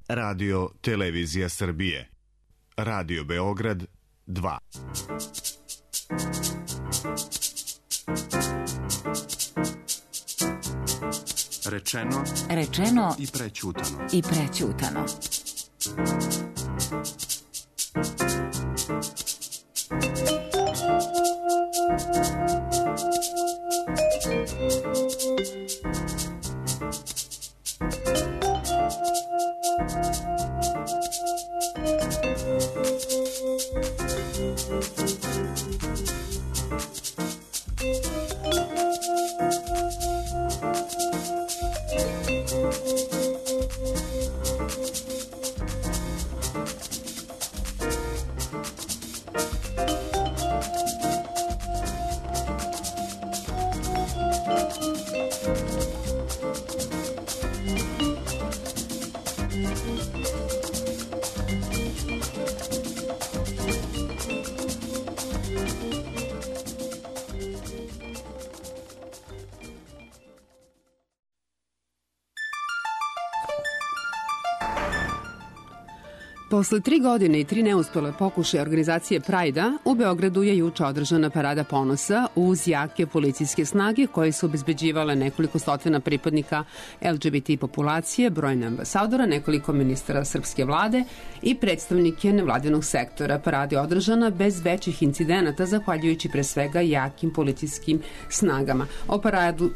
Radio Televizija Srbije. Radio Beograd 2. Rečeno i prećutano. Posle 3 godine i 3 neuspele pokušaje organizacije Prajda, u Beogradu je juče održana parada ponosa uz jake policijske snage koje su obezbeđivale nekoliko stotina pripadnika LGBT populacije, brojne ambasadora, nekoliko ministara srpske vlade i predstavnike nevladinog sektora. Parada je održana bez većih incidenata, zahvaljujući pre svega jakim policijskim snagama. O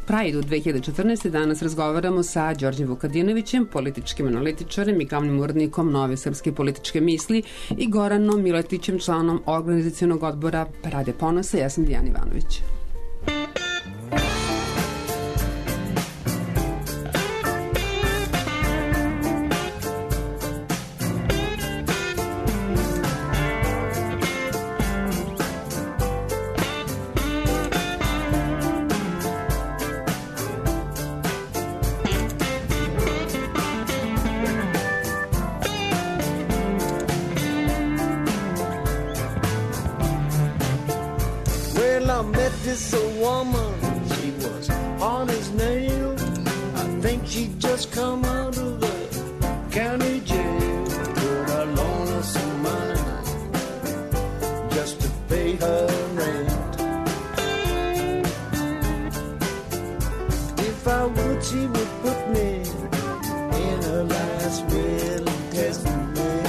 Prajdu 2014. danas razgovaramo sa Đorđem Vukadinovićem, političkim analitičarem i glavnim urednikom Nove srpske političke misli i Goranom Miletićem, članom organizacionog odbora Parade ponosa. Ja sam Dijana Ivanović. This a woman, she was hard as nails. I think she just come out of the county jail. But I loaned her some money just to pay her rent. If I would, she would put me in her last will and testament.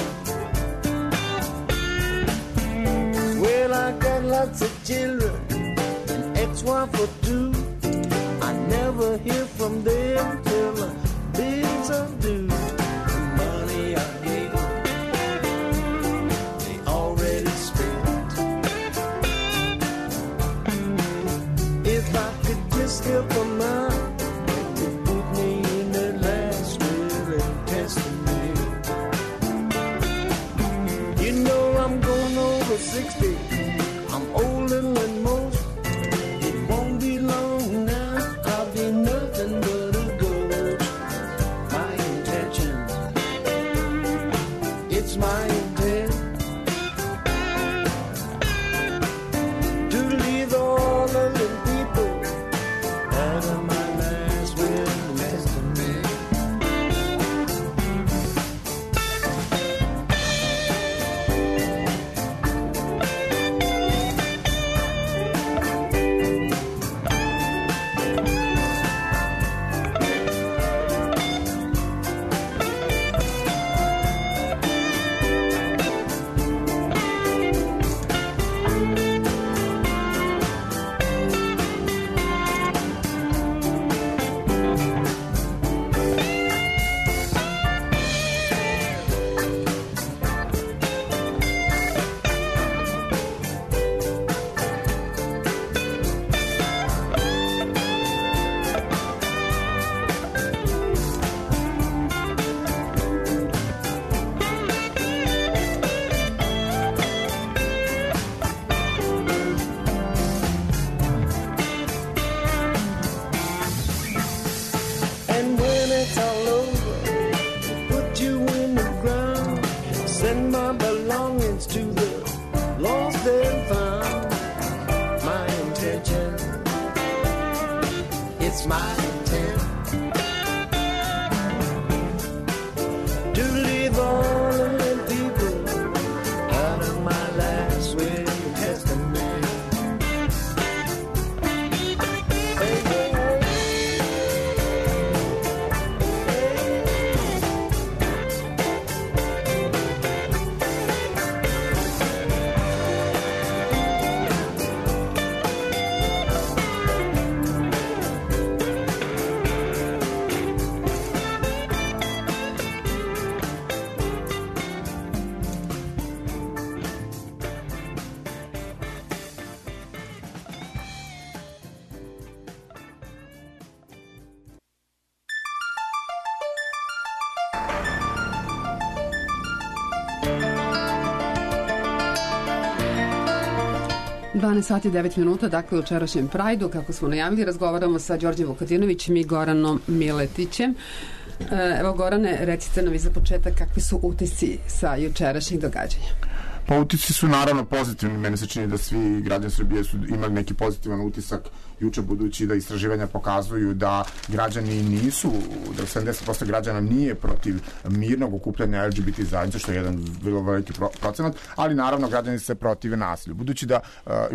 Well, I got lots of children, ex-wife or two. I never hear from them till the bills are due. The money I gave them, they already spent. If I could just help them out, they would put me in their last will and testament. You know I'm going over 60. I'm older than most. My intent to leave all of the people out of my last will and testament. it's my intent to leave 12 sati i 9 minuta, dakle u jučerašnjem Prajdu, kako smo najavili, razgovaramo sa Đorđem Vukadinovićem i Goranom Miletićem. Evo Gorane, recite nam i za početak kakvi su utisci sa jučerašnjih događanja. Pa utisci su naravno pozitivni, meni se čini da svi građani Srbije su imali neki pozitivan utisak juče, budući da istraživanja pokazuju da građani nisu, da 70% građana nije protiv mirnog okupljanja LGBT zajednice, što je jedan vrlo veliki procenat, ali naravno građani se protive nasilju. Budući da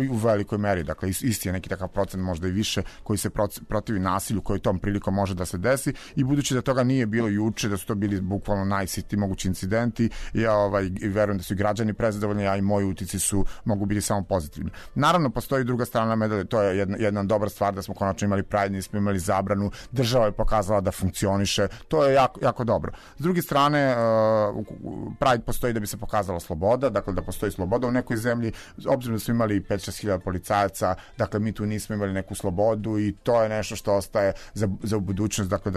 u velikoj meri, dakle isti je neki takav procenat, možda i više, koji se protivi nasilju, koji tom prilikom može da se desi, i budući da toga nije bilo juče, da su to bili bukvalno najsitniji mogući incidenti, ja verujem da su i građani prezadovoljni, a i moji utici mogu biti samo pozitivni. Naravno, postoji druga strana medalje, to je jedna dobra stvar da smo konačno imali Pride, nismo imali zabranu, država je pokazala da funkcioniše, to je jako, jako dobro. S druge strane, Pride postoji da bi se pokazala sloboda, dakle da postoji sloboda u nekoj zemlji, obzirom da smo imali 5-6 hiljada policajaca, dakle mi tu nismo imali neku slobodu i to je nešto što ostaje za budućnost, dakle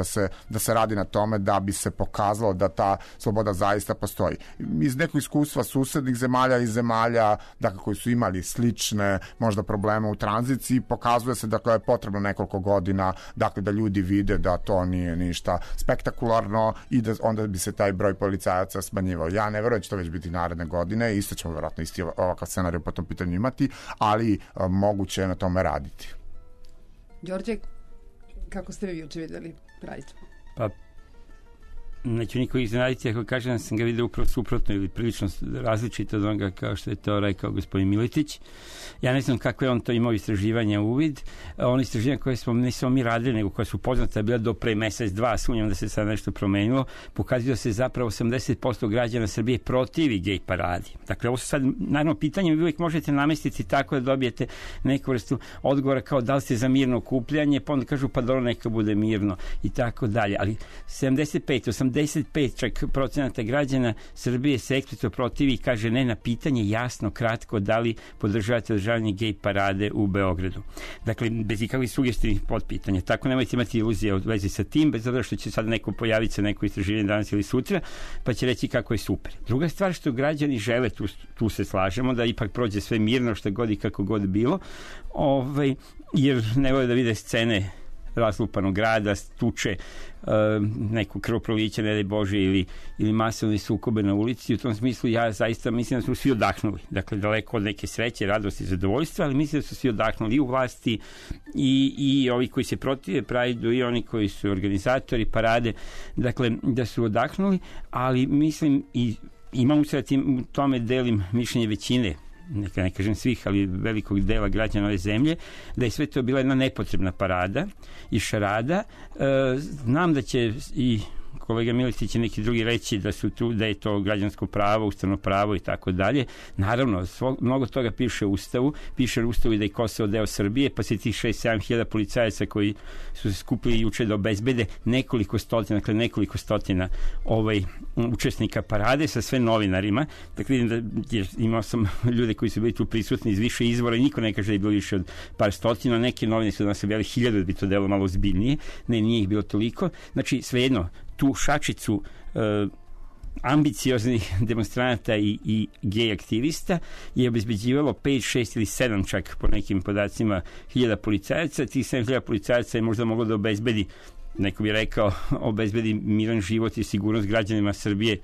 da se radi na tome da bi se pokazalo da ta sloboda zaista postoji. Iz nekog iskustva susednih zemalja i zemalja, dakle koji su imali slične možda probleme u tranziciji, pokazuje se da je potrebno nekoliko godina, dakle da ljudi vide da to nije ništa spektakularno i da onda bi se taj broj policajaca smanjivao. Ja ne verujem da će to već biti naredne godine, isto ćemo vjerojatno isti ovakav scenarij po tom pitanju imati, ali moguće je na tome raditi. Đorđe, kako ste vi juče videli Pride? Pa neću niko iznenaditi ako kažem da sam ga vidio upravo suprotno ili prilično različito od onoga kao što je to rekao gospodin Miletić. Ja ne znam kako je on to imao istraživanja uvid. Ono istraživanja koje smo ne samo mi radili, nego koje su poznata bila do pre mesec, dva, sumnjam da se sad nešto promenilo, pokazuje se zapravo 80% građana Srbije protivi gej paradi. Dakle, ovo su sad, naravno, pitanje vi uvijek možete namestiti tako da dobijete neku vrstu odgovora kao da li ste za mirno okupljanje, pa onda kažu pa dobro neka bude mirno i tako dalje. Ali 85 čak procenata građana Srbije se eksplicitno protivi i kaže ne na pitanje jasno, kratko, da li podržavate održavanje gej parade u Beogradu. Dakle, bez ikakvih sugestijnih potpitanja. Tako nemojte imati iluzije u vezi sa tim, bez obzira što će sad neko pojaviti sa neko istraživanje danas ili sutra, pa će reći kako je super. Druga stvar što građani žele, tu se slažemo, da ipak prođe sve mirno, što god i kako god bilo, jer ne vole da vide scene razlupanog grada, tuče, neku krvoproliće, ne daj Bože, ili masovne sukobe na ulici. U tom smislu ja zaista mislim da su svi odahnuli. Dakle, daleko od neke sreće, radosti i zadovoljstva, ali mislim da su svi odahnuli i u vlasti i ovi koji se protive Pride-u i oni koji su organizatori parade. Dakle, da su odahnuli, ali mislim i imam se u tome delim mišljenje većine, ne kažem svih, ali velikog dela građana ove zemlje, da je sve to bila jedna nepotrebna parada i šarada. Znam da će i kolega Miletić i neki drugi reći da je to građansko pravo, ustavno pravo i tako dalje. Naravno, mnogo toga piše u Ustavu. Piše u Ustavu i da je Kosovo deo Srbije, pa se tih 6-7 hiljada policajaca koji su se skupili juče da obezbede nekoliko stotina učesnika parade sa sve novinarima. Dakle, imao sam ljude koji su bili tu prisutni iz više izvora i niko ne kaže da je bilo više od par stotina. Neke novine su nas objavili 1000 da bi to delo malo ozbiljnije. Ne, nije ih bilo toliko. Znači, svejedno, tu šačicu ambicioznih demonstranata i gej aktivista je obezbeđivalo 5, 6 ili 7 čak po nekim podacima hiljada policajaca. Tih 7.000 policajaca je možda moglo da obezbedi, neko bi rekao, obezbedi miran život i sigurnost građanima Srbije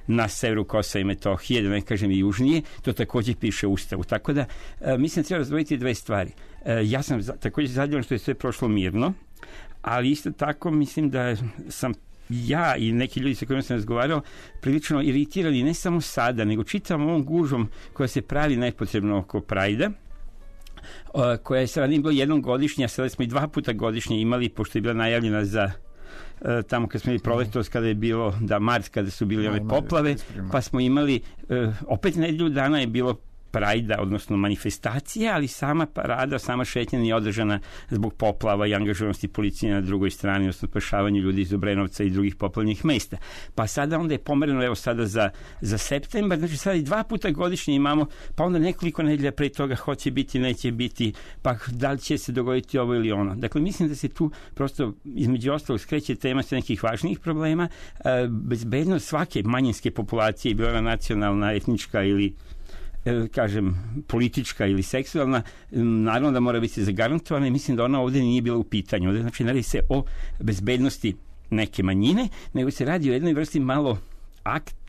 na severu Kosova i Metohije, da ne kažem i južnije. To također piše u Ustavu. Tako da mislim da treba razdvojiti dve stvari. Ja sam također zadovoljan što je sve prošlo mirno, ali isto tako mislim da sam ja i neki ljudi sa kojima sam razgovarao prilično iritirali ne samo sada, nego čitavom ovom gužvom koja se pravi nepotrebno oko Prajda, koja je sada nije bilo jednom godišnja, sada smo i 2 puta godišnje imali, pošto je bila najavljena za tamo kad smo imali proletos, kada je bilo mart, kada su bili ove poplave, pa smo imali opet nedelju dana je bilo Prajda, odnosno manifestacije, ali sama parada, sama šetnja nije održana zbog poplava i angažovanosti policije na drugoj strani, odnosno spašavanju ljudi iz Obrenovca i drugih poplavnih mesta. Pa sada onda je pomereno, evo sada za septembar, znači sada i 2 puta godišnje imamo, pa onda nekoliko nedelja pre toga hoće biti, neće biti, pa da li će se dogoditi ovo ili ono. Dakle, mislim da se tu prosto između ostalog skreće tema sa nekih važnijih problema, bezbednost svake manjinske populacije, bila nacionalna, etnička ili kažem, politička ili seksualna, naravno da mora biti zagarantovana i mislim da ona ovde nije bila u pitanju. Ovde znači ne radi se o bezbednosti neke manjine, nego se radi o jednoj vrsti malo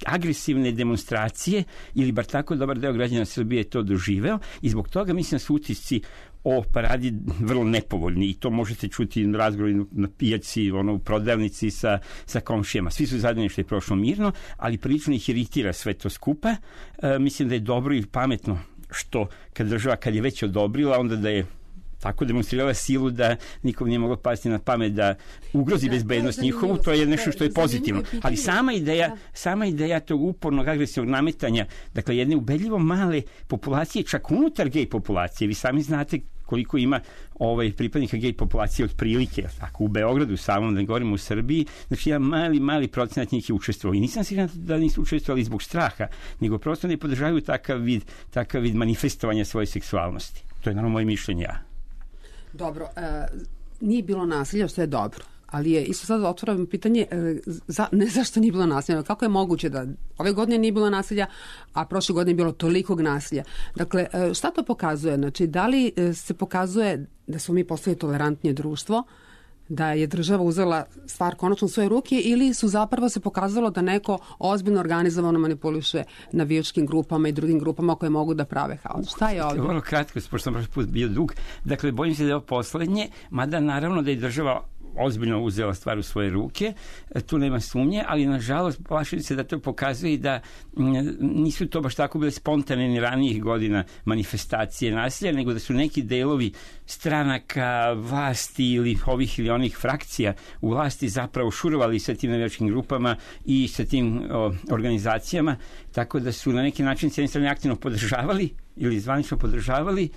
agresivne demonstracije, ili bar tako dobar deo građana Srbije je to doživeo, i zbog toga mislim da su utisci o paradi vrlo nepovoljni, i to možete čuti na razgovoru na pijaci, u prodavnici sa komšijama. Svi su zadovoljni što je prošlo mirno, ali prilično ih iritira sve to skupa. Mislim da je dobro i pametno što kad država, kad je već odobrila, onda da je tako demonstrirala silu da nikom nije moglo pasti na pamet da ugrozi bezbednost njihovu, to je nešto što je pozitivno. Ali sama ideja tog upornog agresivnog nametanja, dakle jedne ubedljivo male populacije, čak unutar gej populacije, vi sami znate koliko ima pripadnika gej populacije otprilike, tako u Beogradu samom, da govorimo u Srbiji, znači jedan mali procenat njih je učestvovao. I nisam siguran da nisu učestvovali zbog straha, nego prosto ne podržavaju takav vid manifestovanja svoje seksualnosti. To je naravno moje mišljenje. Dobro, nije bilo nasilja, što je dobro, ali je isto sad otvoreno pitanje ne zašto nije bilo nasilja, kako je moguće da ove godine nije bilo nasilja, a prošle godine je bilo tolikog nasilja. Dakle, šta to pokazuje? Znači, da li se pokazuje da smo mi postali tolerantnije društvo, da je država uzela stvar konačno u svoje ruke, ili su zapravo se pokazalo da neko ozbiljno organizovano manipuliše navijačkim grupama i drugim grupama koje mogu da prave haos? Šta je ovdje? Vrlo kratko, pošto sam prošli put bio dug. Dakle, bojim se da je ovo poslednje, mada naravno da je država ozbiljno uzela stvar u svoje ruke, tu nema sumnje, ali nažalost plašim se da to pokazuje i da nisu to baš tako bile spontane ni ranijih godina manifestacije nasilja, nego da su neki delovi stranaka, vlasti ili ovih ili onih frakcija u vlasti zapravo šurovali sa tim navijačkim grupama i sa tim organizacijama, tako da su na neki način s jedne strane aktivno podržavali ili zvanično podržavali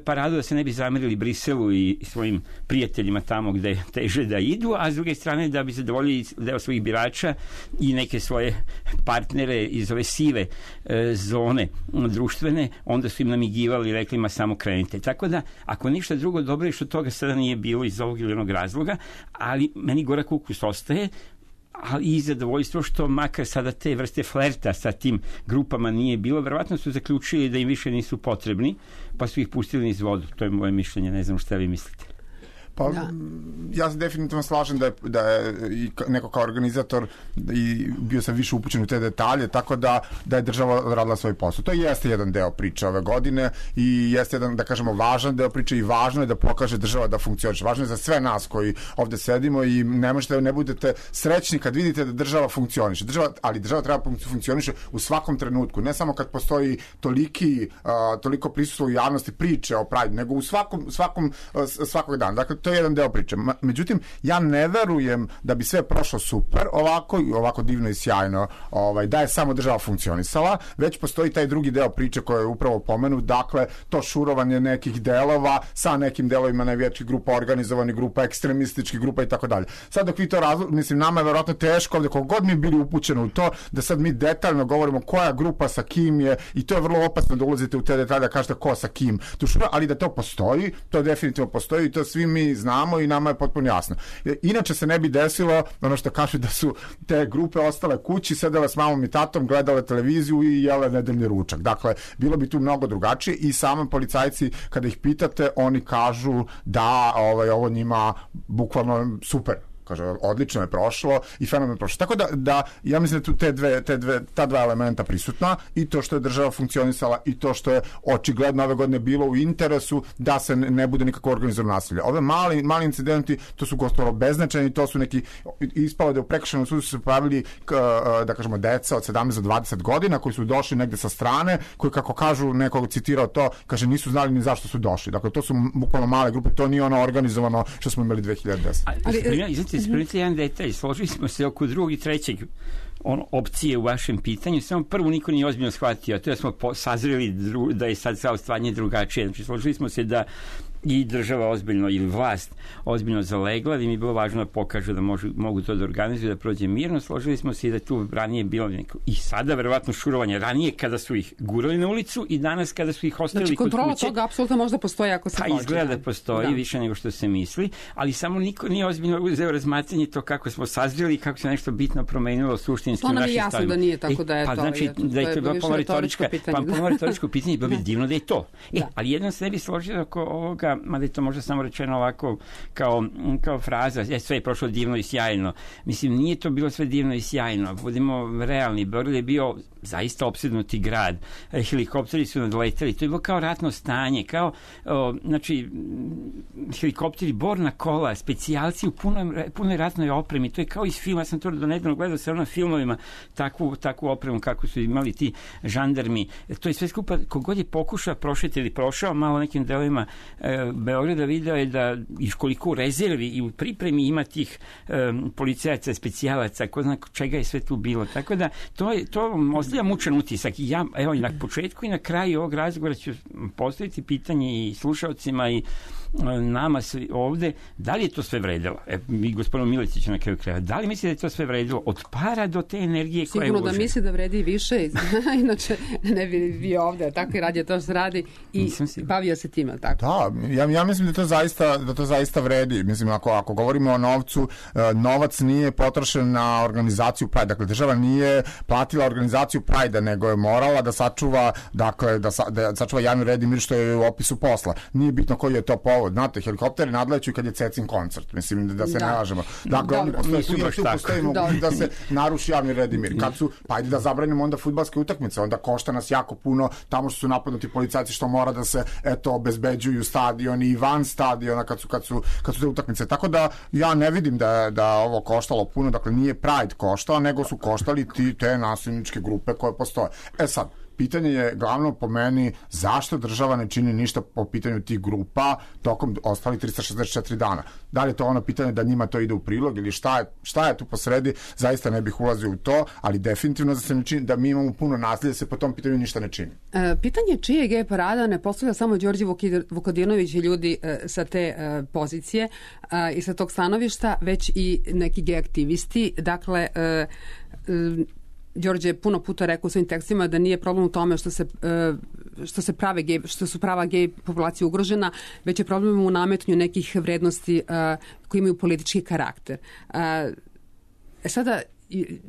paradu, da se ne bi zamerili Briselu i svojim prijateljima tamo gde teže da idu, a s druge strane da bi zadovoljili deo svojih birača i neke svoje partnere iz ove sive zone društvene, onda su im namigivali i rekli ma samo krenite. Tako da, ako ništa drugo, dobro je što toga sada nije bilo iz ovog ili onog razloga, ali meni gorak ukus ostaje, ali i zadovoljstvo što makar sada te vrste flerta sa tim grupama nije bilo. Verovatno su zaključili da im više nisu potrebni, pa su ih pustili niz vodu. To je moje mišljenje, ne znam šta vi mislite. Pa, ja se definitivno slažem da je i neko kao organizator i bio sam više upućen u te detalje, tako da je država radila svoj posao. To jeste jedan deo priče ove godine i jeste jedan, da kažemo, važan deo priče i važno je da pokaže država da funkcioniše. Važno je za sve nas koji ovde sedimo i ne možete, ne budete srećni kad vidite da država funkcioniše. Ali država treba funkcioniše u svakom trenutku, ne samo kad postoji toliko prisustvo u javnosti priče o Pride, nego u svakog dana. Dakle, to je jedan deo priče. Međutim, ja ne verujem da bi sve prošlo super ovako divno i sjajno, da je samo država funkcionisala, već postoji taj drugi deo priče koji je upravo pomenut, dakle, to šurovanje nekih delova sa nekim delovima navijačkih grupa, organizovanih grupa, ekstremističkih grupa i tako dalje. Sad dok vi to mislim, nama je verovatno teško ovde, kogod mi bili upućeni u to, da sad mi detaljno govorimo koja grupa sa kim je, i to je vrlo opasno da ulazite u te detalje, da kažete ko sa kim, ali da to postoji, to definitivno postoji i to svi mi znamo i nama je potpuno jasno. Inače se ne bi desilo ono što kažu da su te grupe ostale kući, sedele s mamom i tatom, gledale televiziju i jele nedeljni ručak. Dakle, bilo bi tu mnogo drugačije i sami policajci, kada ih pitate, oni kažu da ovo njima bukvalno super. Kaže, odlično je prošlo i fenomen je prošlo. Tako da ja mislim da tu ta dva elementa prisutna, i to što je država funkcionisala i to što je očigledno ove godine bilo u interesu da se ne bude nikako organizovano nasilje. Ove mali incidenti, to su gotovo beznačajni, to su neki, ispalo da u prekršajnom sudu su se pojavili, da kažemo, deca od 17 do 20 godina koji su došli negde sa strane, koji, kako kažu, nekog citirao to, kaže, nisu znali ni zašto su došli. Dakle, to su bukvalno male grupe, to nije ono organizovano što smo imali 2010. Ispravite jedan detalj, složili smo se oko drugog i trećeg opcije u vašem pitanju, samo prvu niko nije ozbiljno shvatio, a to je da smo sazreli da je sad stvaranje drugačije. Znači, složili smo se da i država ozbiljno ili vlast ozbiljno zalegla, da im je bilo važno da pokažu da mogu to da organizuju, da prođe mirno. Složili smo se i da tu ranije bilo neko, i sada verovatno šurovanje, ranije kada su ih gurali na ulicu i danas kada su ih ostavili kod kuće. Kontrola toga apsolutno možda postoji ako se hoće. Izgleda da postoji više nego što se misli, ali samo niko nije ozbiljno uzeo razmatranje to kako smo sazreli i kako se nešto bitno promenilo suštinski u našim stavima. To nam je jasno da nije tako da je to. Znači, da je to bilo pomalo retoričko pitanje i bilo bi divno da je to. Ali jednom se ne bi složio oko ovoga, mada je to možda samo rečeno ovako kao fraza, sve je prošlo divno i sjajno. Mislim, nije to bilo sve divno i sjajno. Budimo realni, Beograd je bio zaista opsednuti grad. Helikopteri su nadleteli. To je bilo kao ratno stanje, kao znači helikopteri, borna kola, specijalci u punoj ratnoj opremi. To je kao iz filma. Ja sam to do nedavno gledao sa filmovima takvu opremu kako su imali ti žandarmi. To je sve skupa, kogod je pokušao prošeti ili prošao malo nekim delovima Beograda, video je da i koliko u rezervi i u pripremi ima tih policajaca, specijalaca, ko zna čega je sve tu bilo. Tako da to ostavlja mučan utisak. I ja, evo, i na početku i na kraju ovog razgovora ću postaviti pitanje i slušalcima i nama ovde, da li je to sve vredilo? Mi gospodinu Miletiću na kraju kraja, da li misli da je to sve vredilo? Od para do te energije koja je uložena? Sigurno da misli da vredi više, inače ne bi bio ovde, tako i radio to što radi i bavio se time, tako? Da, ja mislim da to zaista vredi. Mislim, ako govorimo o novcu, novac nije potrošen na organizaciju Pride. Dakle, država nije platila organizaciju Pride, nego je morala da sačuva, dakle, da sačuva javni red i mir, što je u opisu posla. Nije bitno koji je to povod. Znate, helikopteri nadleću kad je Cecin koncert. Mislim, da se ne lažemo. Dakle, oni postoji mogućnost da se naruši javni red i mir. Kad su, pa ajde da zabranimo onda fudbalske utakmice, onda košta nas jako puno tamo što su napadnuti policajci, što mora da se, obezbeđuju stadioni i van stadiona kad su te utakmice. Tako da ja ne vidim da ovo koštalo puno. Dakle, nije Pride koštao, nego su koštali te nasilničke grupe koje postoje. Sad, pitanje je glavno po meni zašto država ne čini ništa po pitanju tih grupa tokom ostalih 364 dana. Da li je to ono pitanje da njima to ide u prilog ili šta je tu posredi, zaista ne bih ulazio u to, ali definitivno da se ne čini, da mi imamo puno nasilja, se po tom pitanju ništa ne čini. Pitanje čije gej parada ne postavlja samo Đorđe Vukadinović i ljudi sa te pozicije i sa tog stanovišta, već i neki gej aktivisti. Dakle, Đorđe je puno puta rekao u svojim tekstima da nije problem u tome što su prava gej populacija ugrožena, već je problem u nametnju nekih vrednosti koji imaju politički karakter. Sada,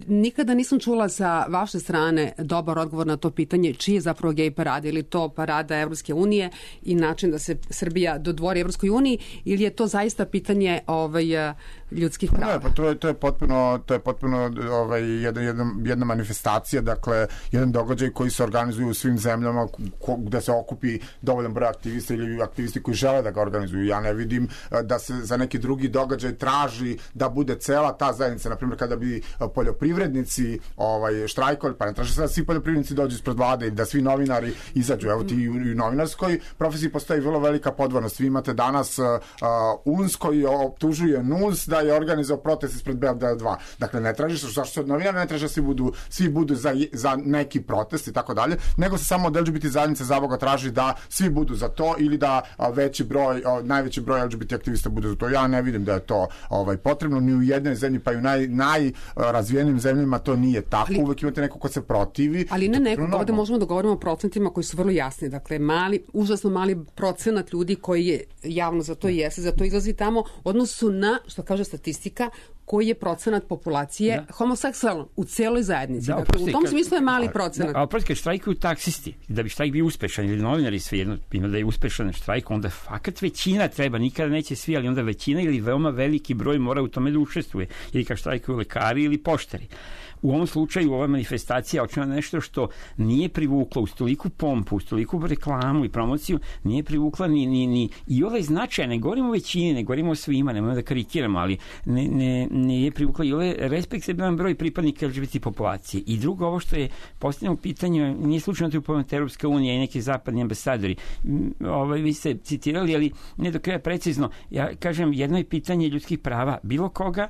nikada nisam čula sa vaše strane dobar odgovor na to pitanje čiji je zapravo gej parada, ili to parada Evropske unije i način da se Srbija dodvori Evropskoj uniji, ili je to zaista pitanje ljudskih prava? Ne, pa to je potpuno jedna manifestacija, dakle jedan događaj koji se organizuju u svim zemljama gde se okupi dovoljan broj aktivista ili aktivisti koji žele da ga organizuju. Ja ne vidim da se za neki drugi događaj traži da bude cela ta zajednica, na primjer kada bi poljoprivrednici štrajkovali, pa ne traže se da svi poljoprivrednici dođu ispred vlade i da svi novinari izađu. Evo ti u novinarskoj profesiji postoji vrlo velika podvornost. Vi imate danas UNS koji optužuje NUNS da je organizao protest ispred Beograda 2. Dakle, ne traži se, zašto se od novinara ne traži da svi budu za neki protest i tako dalje, nego se samo od LGBT zajednice zaboga traži da svi budu za to ili da najveći broj LGBT aktivista bude za to. Ja ne vidim da je to potrebno ni u jednoj zemlji, pa i u najrazvijenim zemljama to nije tako. Uvek imate neko ko se protivi. Ali ne neko, ovde možemo da govorimo o procentima koji su vrlo jasni. Dakle, užasno mali procenat ljudi koji je javno za to jeste, za to izlazi tamo, odnosu na, što kaže statistika, koji je procenat populacije homoseksualno u celoj zajednici. Dakle, u tom smislu je mali procenat. A oprosti, kad štrajkuju taksisti, da bi štrajk bio uspešan, ili novinari svejedno, ima da je uspešan štrajk, onda fakat većina treba, nikada neće svi, ali onda većina ili veoma veliki broj mora u tome da učestvuje. Ili kad štrajkuju lekari ili poštari. U ovom slučaju ova manifestacija očinila nešto što nije privuklo uz toliku pompu, uz toliku reklamu i promociju, nije privukla ni i ovaj značaj, ne govorimo o većini, ne govorimo o svima, nemojmo da karikiramo, ali nije privukla i ovaj respektabilan broj pripadnika LGBT populacije. I drugo, ovo što je postavljeno u pitanju, nije slučajno to upomenuta Evropska unija i neki zapadni ambasadori. Vi ste citirali, ali ne do kraja precizno. Ja kažem, jedno je pitanje ljudskih prava bilo koga,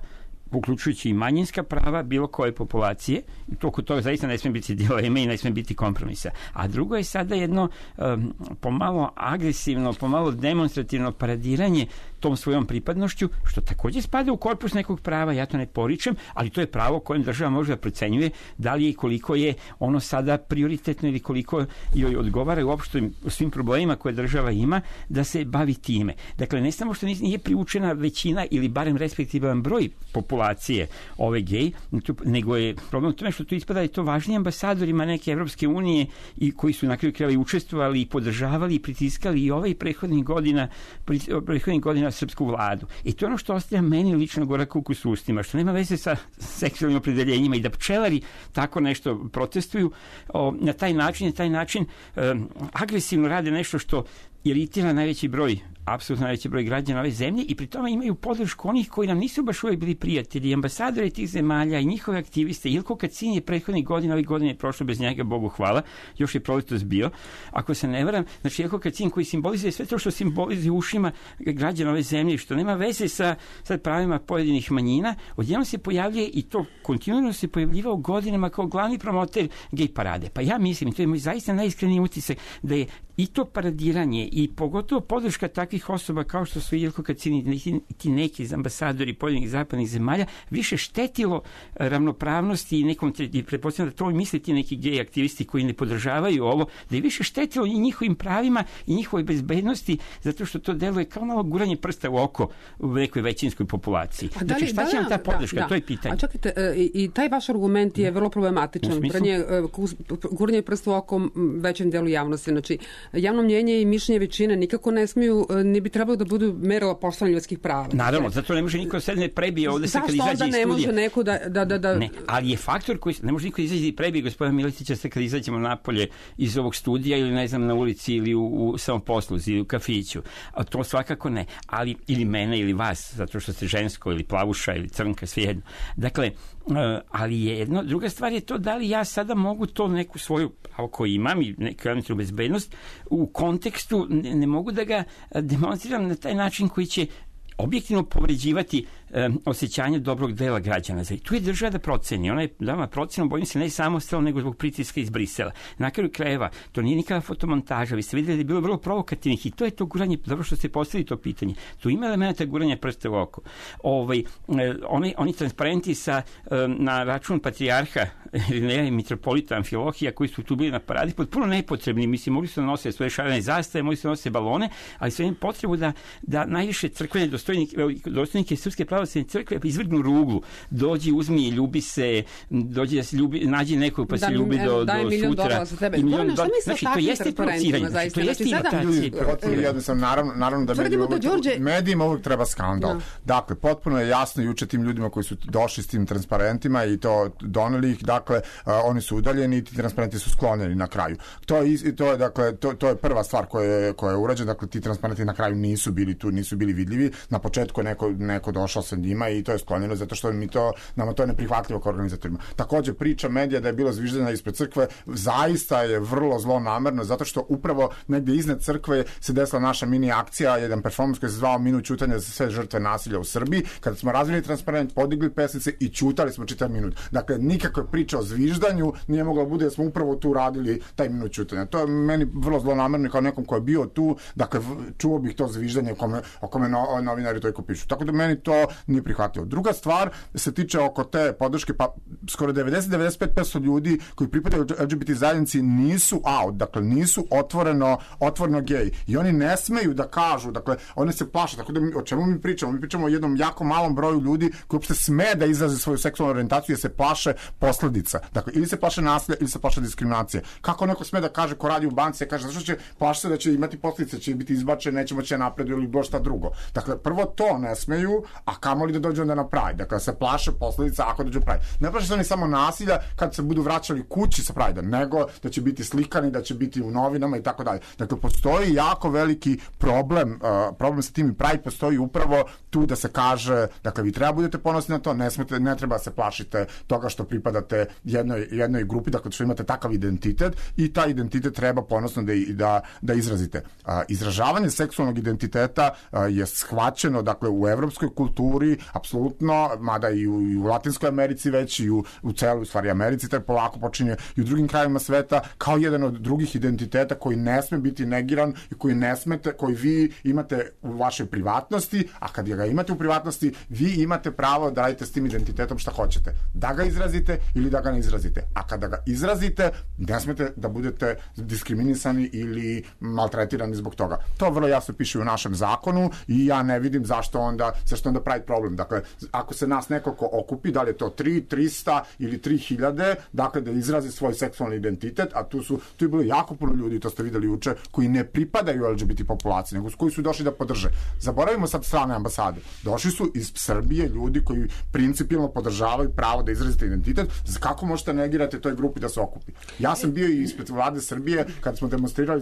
uključujući i manjinska prava bilo koje populacije, i oko toga zaista ne sme biti dileme i ne sme biti kompromisa. A drugo je sada jedno pomalo agresivno, pomalo demonstrativno paradiranje tom svojom pripadnošću, što takođe spada u korpus nekog prava, ja to ne poričem, ali to je pravo kojem država može da procenjuje da li je i koliko je ono sada prioritetno ili koliko joj odgovara uopšte svim problemima koje država ima da se bavi time. Dakle, ne samo što nije priučena većina ili barem respektivan broj populacije ove gej, nego je problem u tome što tu ispada i to važniji ambasadorima neke Evropske unije i koji su na kraju krajeva učestvovali i podržavali i pritiskali i ovaj prethodnih godina srpsku vladu. I to je ono što ostaje meni lično gorak ukus u ustima, što nema veze sa seksualnim opredeljenjima i da pčelari tako nešto protestuju na taj način agresivno rade nešto što iritira apsolutno najveći broj građana ove zemlje i pri tome imaju podršku onih koji nam nisu baš uvijek bili prijatelji, ambasadori tih zemalja i njihove aktiviste. Ilko Kacin je prethodnih godina, ovih godina je prošlo bez njega, Bogu hvala, još je proletos bio. Ako se ne varam, znači Ilko Kacin koji simbolizuje sve to što simbolizuje ušima građana ove zemlje, što nema veze sa pravima pojedinih manjina, odjednom se pojavljuje i to kontinuirano se pojavljivao godinama kao glavni promoter gej parade. Pa ja mislim, to je moj zaista najiskreniji utisak, da je i to paradiranje i pogotovo podrška takvih osoba kao što su Ilko Kacin i ti neki ambasadori pojedinih zapadnih zemalja više štetilo ravnopravnosti i nekom, pretpostavljam da to misle ti neki gej aktivisti koji ne podržavaju ovo, da je više štetilo i njihovim pravima i njihovoj bezbednosti, zato što to deluje kao malo guranje prsta u oko u nekoj većinskoj populaciji. Znači, šta će nam ta podrška? To je pitanje. A čekajte, i taj vaš argument je vrlo problematičan. Guranje prsta u oko većem delu javnosti. Znači, javno mnjenje i mišljenje većine nikako ne smiju, ne bi trebalo da budu merilo poštovanja ljudskih prava. Naravno, zato ne može niko sad ne prebije ovde se kad izađe iz studija. Zašto onda ne može neko da... Ne, ali je faktor koji ne može niko izađe i prebije gospodina Miletića sad kad izađemo napolje iz ovog studija ili ne znam na ulici ili u samoposluzi ili u kafiću. A to svakako ne. Ali ili mene ili vas, zato što ste žensko ili plavuša ili crnka, svejedno. Dakle, ali je jedno, druga stvar je to da li ja sada mogu to neku svoju pravo koju imam i neku elementarnu bezbednost u kontekstu, ne mogu da ga demonstriram na taj način koji će objektivno povređivati osjećanje dobrog dela građana. I tu je država da proceni. Ona je dala procenu, bojim se, ne samostalno, nego zbog pritiska iz Brisela. Na kraju krajeva, to nije nikada fotomontaža. Vi ste vidjeli da je bilo vrlo provokativnih i to je to guranje, dobro što ste postavili to pitanje. Tu ima elementa guranja prsta u oko. Oni transparenti na račun patrijarha i mitropolita Amfilohija koji su tu bili na paradi, potpuno nepotrebni. Mislim, mogli su da nose svoje šarene zastave, mogli su da nose balone, ali sve im potrebu da najviše crkvene dostojnike Srpske pravoslavne crkve izvrgnu ruglu. Dođi, uzmi i ljubi se, dođi da se ljubi, nađi nekog pa se ljubi do sutra. Znači, to jeste provociranje. To jeste imitacija. Naravno da medijima uvijek treba skandal. Dakle, potpuno je jasno juče tim ljudima koji su došli s tim transparentima i to doneli ih, dakle, oni su udaljeni i ti transparenti su sklonjeni na kraju. To je prva stvar koja je urađena. Dakle, ti transparenti na kraju nisu bili tu, nisu bili vidljivi. Na početku je neko došao sa njima i to je sklonjeno zato što nama to je neprihvatljivo kao organizatorima. Takođe, priča medija da je bilo zviždanja ispred crkve zaista je vrlo zlonamerno zato što upravo negdje iznad crkve se desila naša mini akcija, jedan performans koji se zvao Minut ćutanja za sve žrtve nasilja u Srbiji, kada smo razvili transparent, podigli pesnice i ćutali smo čitav minut. Dakle, nikakve priče o zviždanju nije moglo bude da smo upravo tu radili taj minut ćutanja. To je meni vrlo zlonamerno kao nekom ko je bio tu, dakle, čuo bih to zviždanje o kome novinari toliko pišu. Tako da meni to nije prihvatljivo. Druga stvar se tiče oko te podrške, pa skoro 90-95% ljudi koji pripadaju LGBT zajednici nisu out, dakle nisu otvoreno gej. I oni ne smeju da kažu, dakle, oni se plaše. Tako da o čemu mi pričamo? Mi pričamo o jednom jako malom broju ljudi koji uopšte sme da izraze svoju seksualnu orijentaciju jer se plaše posledica. Dakle, ili se plaše nasilja ili se plaše diskriminacije. Kako neko sme da kaže ko radi u banci, kaže zašto će plaši se da će imati posljedice, će biti izbačen, neće moći napreduju ili bilo šta drugo. Dakle, prvo to ne smeju, a kamoli da dođu onda na Pride. Dakle, se plaše posljedica ako dođu Pride. Ne plaše se oni samo nasilja kad se budu vraćali kući sa Pride, nego da će biti slikani, da će biti u novinama i tako dalje. Dakle, postoji jako veliki problem sa tim i Pride postoji upravo tu da se kaže, dakle, vi treba budete ponosni na to, ne treba se plašite toga što pripadate jednoj grupi, dakle, što imate takav identitet i taj identitet treba ponosno da izrazite. Izražavanje seksualnog identiteta je shvaćeno, dakle, u evropskoj kulturi dijaspori, apsolutno, mada i u Latinskoj Americi već, i u celoj, u stvari, Americi, tako polako počinje i u drugim krajima sveta, kao jedan od drugih identiteta koji ne sme biti negiran i koji vi imate u vašoj privatnosti, a kad ga imate u privatnosti, vi imate pravo da radite s tim identitetom šta hoćete. Da ga izrazite ili da ga ne izrazite. A kada ga izrazite, ne smete da budete diskriminisani ili maltretirani zbog toga. To vrlo jasno piše u našem zakonu i ja ne vidim zašto onda pravi problem. Dakle, ako se nas nekoliko okupi, da li je to 300 ili 3000, dakle da izrazi svoj seksualni identitet, a tu je bilo jako puno ljudi, to ste videli juče, koji ne pripadaju LGBT populaciji, nego koji su došli da podrže. Zaboravimo sad strane ambasade. Došli su iz Srbije ljudi koji principijelno podržavaju pravo da izrazite identitet. Kako možete negirati toj grupi da se okupi? Ja sam bio i ispred vlade Srbije kad smo demonstrirali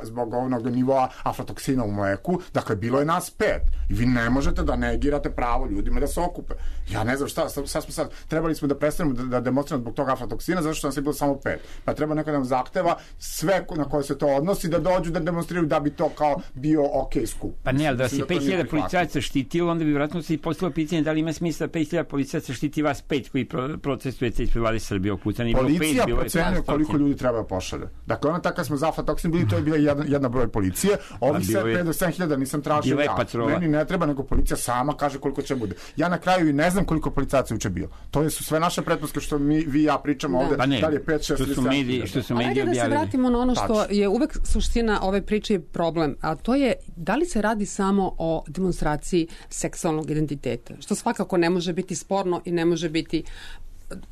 zbog onog nivoa aflatoksina u mleku. Dakle, bilo je nas 5. I vi ne možete da negirate pravo ljudima da se okupe. Ja ne znam šta smo sad, trebali smo da prestanemo da demonstriramo zbog toga aflatoksina, zato što nas je bilo samo 5. Pa treba neko da nam zahteva sve na koje se to odnosi da dođu da demonstriraju da bi to kao bio okej skup. Pa ne, ali da si 5000 policajaca štitilo, onda bi vjerojatno se i postavilo pitanje da li ima smisla 5000 policajaca štiti vas 5 koji protestujete ispred vlade Srbije okutani. Policija procenjuje koliko ljudi treba da pošalje. Dakle, ona tako smo za aflatoksin bili, to je bila jedna broj policije. Ovi 5 do 7000 nisam tražio ja. Meni ne treba, nego policija sama kaže koliko će bude. Ja na kraju i ne znam koliko policajaca juče bilo. To su sve naše pretpostavke što vi i ja pričamo ovde. Da li je 5, 6 ili 7. Što su mediji objavili. Da se vratimo na ono što je uvek suština ove priče i problem, a to je da li se radi samo o demonstraciji seksualnog identiteta, što svakako ne može biti sporno i ne može biti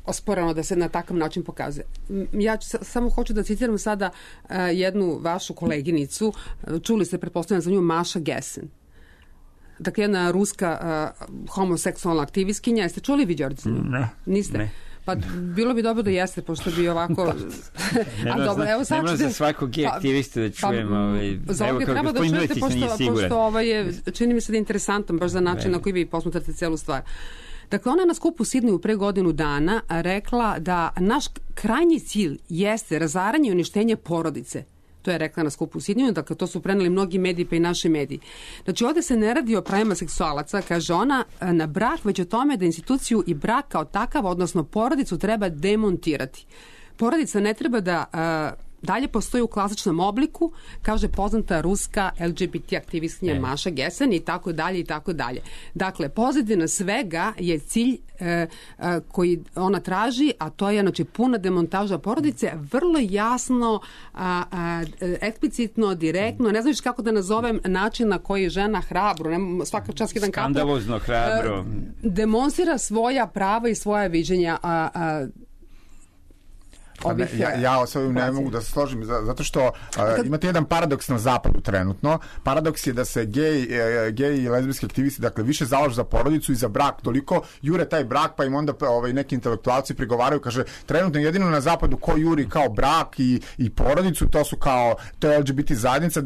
osporeno da se na takav način pokazuje. Ja samo hoću da citiram sada jednu vašu koleginicu, čuli ste, pretpostavljam za nju, Maša Gesen. Dakle, jedna ruska homoseksualna aktivistkinja. Jeste čuli vi, Đorđe? Ne. Niste? Ne. Pa bilo bi dobro da jeste, pošto bi ovako... dobro, evo sad ćete... za svakog gej aktivista da čujem... Evo kako gospodin Miletić nije siguran. Pošto ovo je, čini mi se da je interesantan baš za način na koji vi posmatrate celu stvar. Dakle, ona je na skupu u Sidneju pre godinu dana rekla da naš krajnji cilj jeste razaranje i uništenje porodice. To je rekla na skupu u Sidneju, dakle to su preneli mnogi mediji pa i naši mediji. Znači ovde se ne radi o pravima seksualaca, kaže ona, na brak, već o tome da instituciju i brak kao takav, odnosno porodicu, treba demontirati. Porodica ne treba da dalje postoji u klasičnom obliku, kaže poznata ruska LGBT aktivistkinja Maša Gesen i tako dalje i tako dalje. Dakle, pozadina svega je cilj koji ona traži, a to je znači puna demontaža porodice, vrlo jasno, eksplicitno, direktno, ne znaš kako da nazovem način na koji žena hrabro, svaka čast jedan kapo, skandalozno hrabro demonstrira svoja prava i svoja viđenja Ja sa ovim ne mogu da se složim, zato što imate jedan paradoks na zapadu trenutno. Paradoks je da se gej i lezbijski aktivisti, dakle, više zalažu za porodicu i za brak, toliko jure taj brak, pa im onda neki intelektualci prigovaraju, kaže, trenutno jedino na zapadu ko juri kao brak i porodicu, to je LGBT zajednica,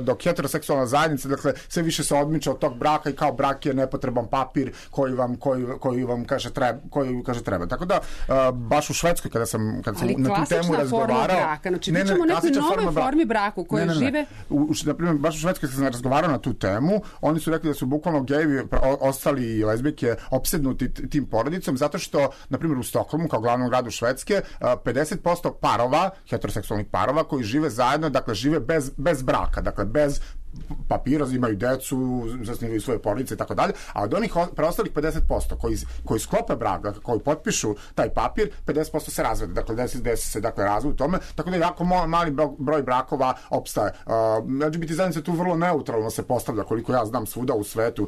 dok heteroseksualna zajednica, dakle, sve više se odmiče od tog braka i kao brak je nepotreban papir koji vam kaže treba. Tako da, baš u Švedskoj, kada sam na tu temu razgovarao. Znači, pričamo o nekoj novoj formi braku koje žive. Na primjer, baš u Švedskoj sam razgovarao na tu temu, oni su rekli da su bukvalno gejevi ostali i lezbijke opsednuti tim porodicom, zato što, na primjer, u Stokholmu, kao glavnom gradu Švedske, 50% parova, heteroseksualnih parova, koji žive zajedno, dakle, žive bez braka, dakle, bez papira, imaju decu, zasnivaju svoje porodice i tako dalje, a od onih preostalih 50% koji sklope brak, dakle, koji potpišu taj papir, 50% se razvede, dakle desi se razvod u tome, tako da jako mali broj brakova opstaje. LGBT zajednica tu vrlo neutralno se postavlja, koliko ja znam, svuda u svetu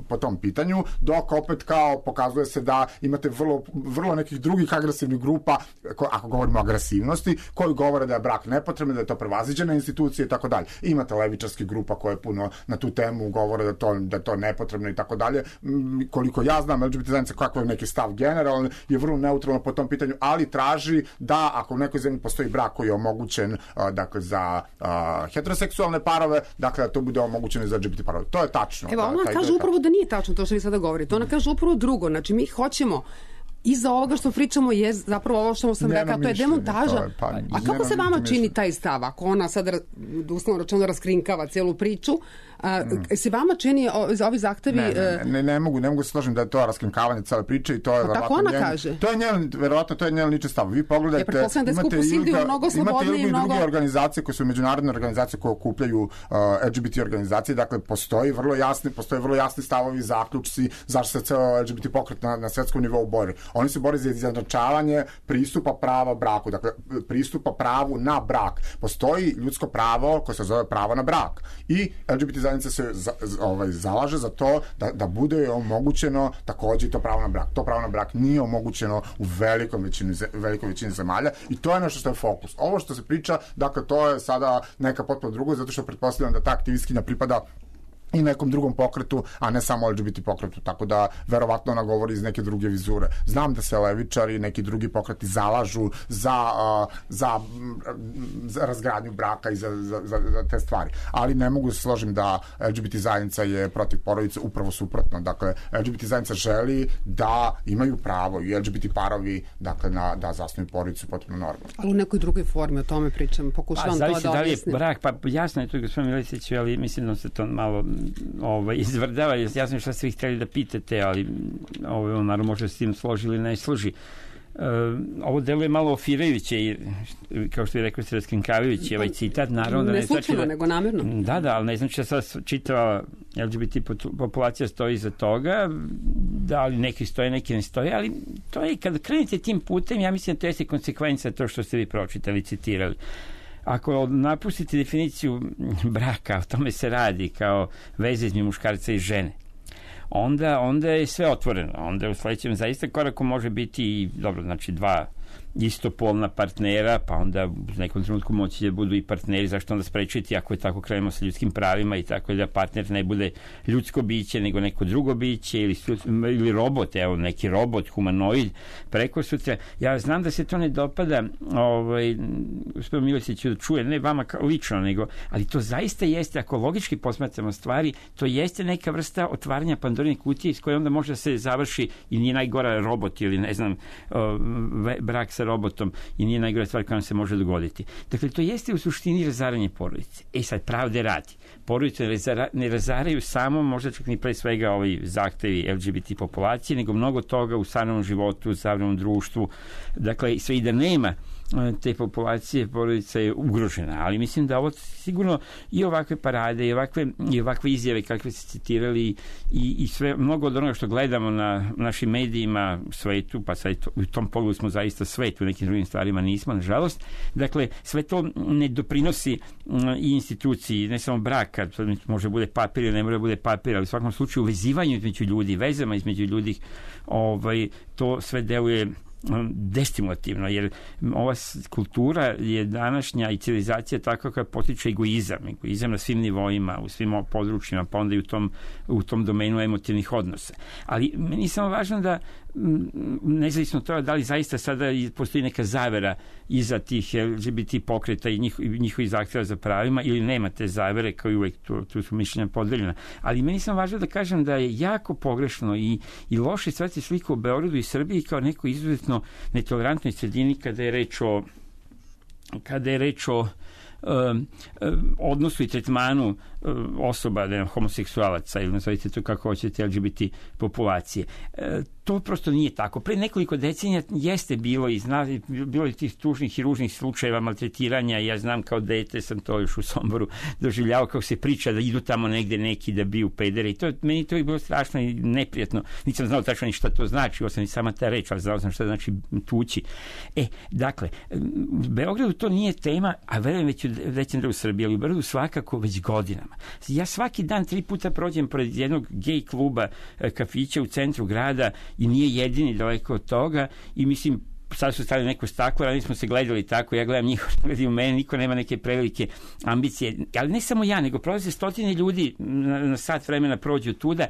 po tom pitanju, dok opet kao pokazuje se da imate vrlo nekih drugih agresivnih grupa, ako govorimo o agresivnosti, koji govore da je brak nepotreban, da je to prevaziđena institucija i tako dalje. Imate levičarski grupa koja je puno na tu temu govore da je to nepotrebno i tako dalje. Koliko ja znam, LGBT zajednica, kakav je neki stav generalan, je vrlo neutralno po tom pitanju, ali traži da ako u nekoj zemlji postoji brak koji je omogućen dakle, za heteroseksualne parove, dakle da to bude omogućeno za LGBT parove. To je tačno. Evo, ona kaže upravo da nije tačno to što vi sada govorite. Ona kaže upravo drugo. Znači, mi hoćemo iza ovoga što pričamo je zapravo ovo što sam rekao, to je demontaža. A kako se vama čini taj stav? Ako ona sad, uslovno rečeno, raskrinkava celu priču, Se vama čini ovi zahtevi... Ne mogu se složiti da je to raskrinkavanje cele priče i to je tako ona kaže. Verovatno to je njen lični stav. Vi pogledajte, imate i druge organizacije koje su međunarodne organizacije koje okupljaju LGBT organizacije, dakle postoje vrlo jasni stavovi, zaključci zašto se ceo LGBT pokret na svetskom nivou bori. Oni se bore za izjednačavanje pristupa prava braku, dakle pristupa pravu na brak. Postoji ljudsko pravo koje se zove pravo na brak i LGBT zajednica se zalaže za to da bude omogućeno takođe i to pravo na brak. To pravo na brak nije omogućeno u velikoj većini zemalja i to je nešto što je fokus. Ovo što se priča, dakle to je sada neka potpuno drugo, zato što pretpostavljam da ta aktivistkinja pripada i nekom drugom pokretu, a ne samo LGBT pokretu, tako da verovatno ona govori iz neke druge vizure. Znam da se levičari i neki drugi pokreti zalažu za razgradnju braka i za te stvari, ali ne mogu se složiti da LGBT zajednica je protiv porodice, upravo suprotno. Dakle, LGBT zajednica želi da imaju pravo i LGBT parovi, dakle, da zasnuju porodicu potpuno normalno. Ali u nekoj drugoj formi o tome pričam, pokušavam to da objasnim. Da li je brak, pa jasno je to gospodin Miletiću, ali mislim da se to malo izvrdava, ja znam šta ste vi htjeli da pitate, ali on naravno može s tim složi ili ne složi. Ovo deluje malo ofirajuće, kao što je rekao se raskrinkavajući ovaj citat, naravno da ne slučajno, nego namerno. Da, ali ne znači da sad čitava LGBT populacija stoji iza toga, da li neki stoje, neki ne stoje, ali to je, kada krenete tim putem, ja mislim da to jeste konsekvenca to što ste vi pročitali, citirali. Ako napustite definiciju braka, o tome se radi kao veze između muškarca i žene, onda je sve otvoreno. Onda u sledećem zaista koraku može biti dobro, znači dva istopolna partnera, pa onda u nekom trenutku moći da budu i partneri, zašto onda sprečiti ako je tako krenemo sa ljudskim pravima i tako da partner ne bude ljudsko biće nego neko drugo biće ili robot, evo neki robot, humanoid, preko sutra. Ja znam da se to ne dopada gospodinu Miletiću da čuje, ne vama lično, nego, ali to zaista jeste, ako logički posmatramo stvari, to jeste neka vrsta otvaranja Pandorine kutije iz koje onda može da se završi i nije najgora robot ili ne znam brak sa robotom i nije najgore stvar koja nam se može dogoditi. Dakle, to jeste u suštini razaranje porodice. Sad, pravde radi. Porodice ne razaraju samo, možda čak ni pre svega ovi zahtevi LGBT populacije, nego mnogo toga u savremenom životu, u savremenom društvu. Dakle, sve i da nema te populacije, porodica je ugrožena, ali mislim da ovo sigurno i ovakve parade i ovakve izjave kakve ste citirali i sve, mnogo od onoga što gledamo na našim medijima u svetu, pa sad u tom pogledu smo zaista svet, u nekim drugim stvarima nismo, nažalost. Dakle, sve to ne doprinosi i instituciji, ne samo braka, može bude papir ili ne može bude papir, ali u svakom slučaju uvezivanju između ljudi, vezama između ljudi, to sve deluje destimulativno, jer ova kultura je današnja i civilizacija tako koja potiče egoizam na svim nivoima, u svim područjima, pa onda i u tom domenu emotivnih odnosa. Ali meni je samo važno da nezavisno od toga da li zaista sada postoji neka zavera iza tih LGBT pokreta i njihovih zahtjeva za pravima ili nema te zavere, kao i uvek tu su mišljenja podeljena. Ali meni je samo važno da kažem da je jako pogrešno i loše stvarati sliku o Beogradu i Srbiji kao neko izuzetno netolerantnoj sredini kada je reč o odnosu i tretmanu osoba, homoseksualaca ili nazovite to kako hoćete, LGBT populacije. To prosto nije tako. Pre nekoliko decenija jeste bilo i tih tužnih i ružnih slučajeva maltretiranja. Ja znam kao dete, sam to još u Somboru doživljavao kako se priča da idu tamo negde neki da biju pedere i meni to je bilo strašno i neprijatno. Nisam znao tačno ni šta to znači, ovo sam i sama ta reč, ali znao sam šta znači tući. Dakle, u Beogradu to nije tema, a verujem većem delu Srbije, ali u Beogradu svakako već godinama. Ja svaki dan 3 puta prođem pored jednog gej kluba, kafića u centru grada i nije jedini daleko od toga i mislim, sad su stavili neko staklo, ali smo se gledali tako, ja gledam njih, gledaju mene, niko nema neke prevelike ambicije, ali ne samo ja, nego prolaze stotine ljudi na sat vremena prođu tuda,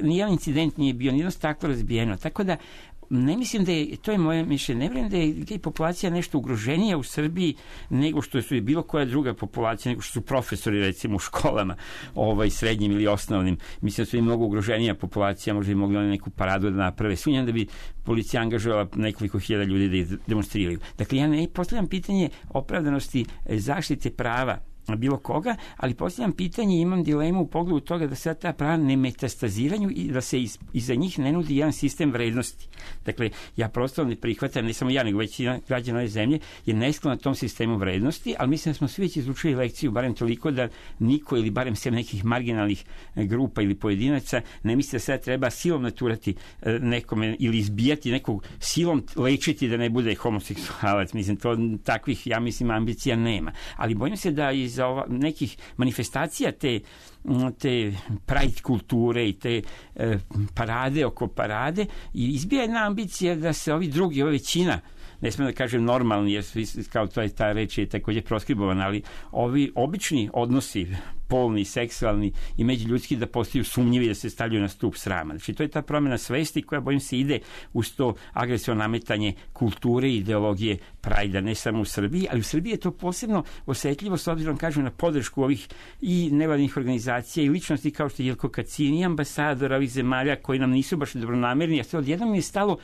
nijedan incident nije bio, nijedno staklo razbijeno, tako da ne mislim da je, to je moje mišljenje, ne vjerujem da je gej populacija nešto ugroženija u Srbiji nego što su bilo koja druga populacija, nego što su profesori recimo u školama, srednjim ili osnovnim. Mislim da su i mnogo ugroženija populacija, možda bi mogli oni neku paradu da naprave. Sumnjam da bi policija angažovala nekoliko hiljada ljudi da demonstriraju. Dakle, ja ne postavljam pitanje opravdanosti zaštite prava bilo koga, ali postavljam pitanje i imam dilemu u pogledu toga da se ta prava ne metastaziraju i da se iza njih ne nudi jedan sistem vrednosti. Dakle, ja prosto ne prihvatam, ne samo ja, nego većina građana ove zemlje je nesklona tom sistemu vrednosti, ali mislim da smo svi već izučili lekciju, barem toliko da niko ili barem sem nekih marginalnih grupa ili pojedinaca ne misli da sada treba silom naturati nekome ili izbijati nekog, silom lečiti da ne bude homoseksualac. Mislim, to takvih, ja mislim, ambicija nema. Ali bojim se da iz nekih manifestacija te pride kulture i te parade oko parade i izbija jedna ambicija da se ovi drugi, ova većina, ne smijem da kažem normalni, jer kao to je ta reč je također proskribovana, ali ovi obični odnosi, polni, seksualni i međuljudski, da postaju sumnjivi, da se stavljaju na stup srama. Znači, to je ta promjena svesti koja, bojim se, ide uz to agresivno nametanje kulture i ideologije prajda, ne samo u Srbiji, ali u Srbiji je to posebno osetljivo s obzirom, kažem, na podršku ovih i nevladinih organizacija i ličnosti kao što je Jelko Kacin i ambasadora ovih zemalja koji nam nisu baš dobronamerni, a sve odjednom je stalo